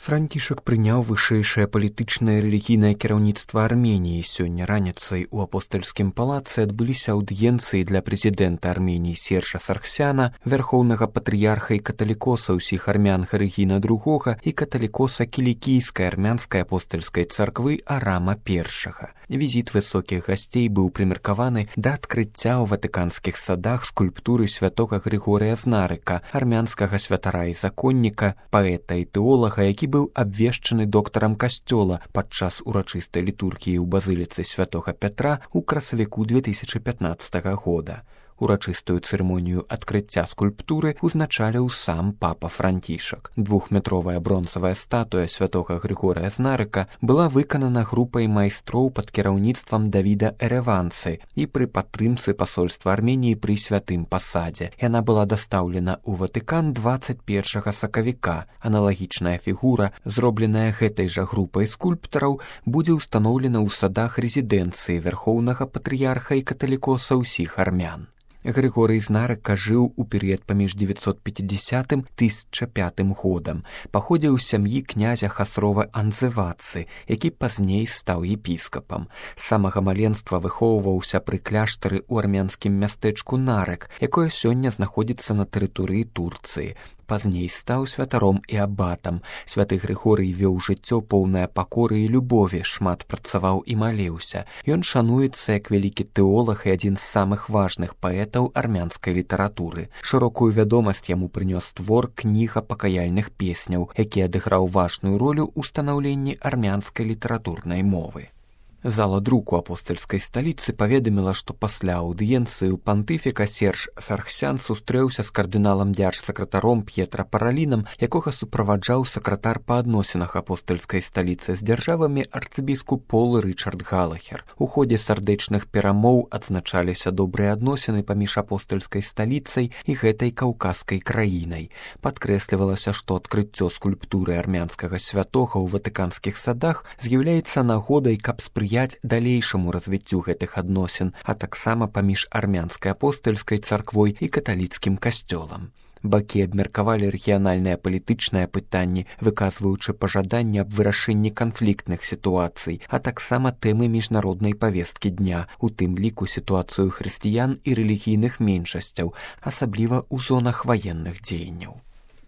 Францішак прыняў вышэйшае палітычнае і рэлігійнае кіраўніцтва Арменіі. Сёння раніцай у апостальскім палацы адбыліся аўдыенцыі для прэзідэнта Арменіі Сержа Саргсяна, вярхоўнага патрыярха і каталікоса ўсіх армян Гарыгіна II і каталікоса кілікійскай армянскай апостальскай царквы Арама I. Візіт высокіх гасцей быў прымеркаваны да адкрыцця ў ватыканскіх садах скульптуры святога Грыгорыя з Нарыка, армянскага святара і законніка, паэта і тэолага, які быў абвешчаны доктарам касцёла падчас урачыстай літургіі ў базыліцы святога Пятра ў красавіку 2015 года. Урачыстую цырымонію адкрыцця скульптуры узначаліў сам папа Францішак. Двухметровая бронзавая статуя святога Грыгорыя з Нарыка была выканана групай майстроў пад кіраўніцтвам Давіда Эреванцы і пры падтрымцы пасольства Арменіі пры святым пасадзе. Яна была дастаўлена ў Ватыкан 21 сакавіка. Аналагічная фігура, зробленая гэтай жа групай скульптараў, будзе ўстаноўлена ў садах рэзідэнцыі вярхоўнага патрыярха і каталікоса ўсіх армян. Грыгорый з Нарыка жыў у перыяд паміж 950-1005 годам. Паходзіў з сям'і князя Хасрова Анзывацы, які пазней стаў епіскапам. З самага маленства выхоўваўся пры кляштары ў армянскім мястэчку Нарык, якое сёння знаходзіцца на тэрыторыі Турцыі. Пазней стаў святаром і абатам. Святы Грыгорый вёў жыццё поўнае пакоры і любові, шмат працаваў і маліўся. Ён шануецца як вялікі тэолаг і адзін з самых важных паэтаў армянскай літаратуры. Шырокую вядомасць яму прынёс твор кніга пакаяльных песняў, які адыграў важную ролю ў станаўленні армянскай літаратурнай мовы. Зала друку апостальскай сталіцы паведаміла, што пасля аўдыенцыі ў пантыфіка Серж Саргсян сустрэўся з кардыналам дзяржсакратаром П'етра Паралінам, якога суправаджаў сакратар па адносінах апостальскай сталіцы з дзяржавамі арцыбіскуп Пол Рычард Галахер. У ходзе сардэчных перамоў адзначаліся добрыя адносіны паміж апостальскай сталіцай і гэтай каўказскай краінай. Падкрэслівалася, што адкрыццё скульптуры армянскага святога ў ватыканскіх садах з'яўляецца нагодай, каб спрыяць далейшаму развіццю гэтых адносін, а таксама паміж армянскай апостальскай царквой і каталіцкім касцёлам. Бакі абмеркавалі рэгіянальныя палітычныя пытанні, выказваючы пажаданне аб вырашэнні канфліктных сітуацый, а таксама тэмы міжнароднай павесткі дня, у тым ліку сітуацыю хрысціян і рэлігійных меншасцяў, асабліва ў зонах ваенных дзеянняў.